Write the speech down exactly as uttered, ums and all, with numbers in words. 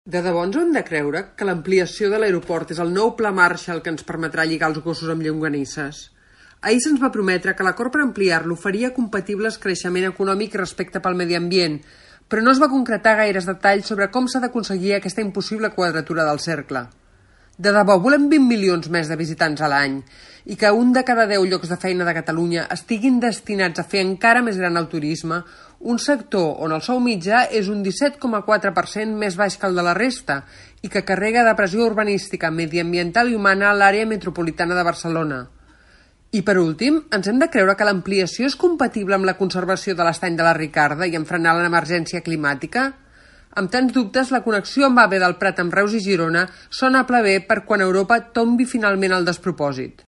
De debò ens ho hem de creure, que l'ampliació de l'aeroport és el nou pla Marshall que ens permetrà lligar els gossos amb llonganisses? Ahir se'ns va prometre que l'acord per ampliar-lo faria compatibles creixement econòmic i respecte pel medi ambient, però no es va concretar gaires detalls sobre com s'ha d'aconseguir aquesta impossible quadratura del cercle. De debò, volem vint milions més de visitants a l'any i que un de cada deu llocs de feina de Catalunya estiguin destinats a fer encara més gran el turisme, un sector on el sou mitjà és un disset coma quatre per cent més baix que el de la resta i que carrega de pressió urbanística, mediambiental i humana a l'àrea metropolitana de Barcelona. I per últim, ens hem de creure que l'ampliació és compatible amb la conservació de l'estany de la Ricarda i amb frenar l'emergència climàtica? Amb tants dubtes, la connexió amb AVE del Prat amb Reus i Girona sona a ple bé per quan Europa tombi finalment al despropòsit.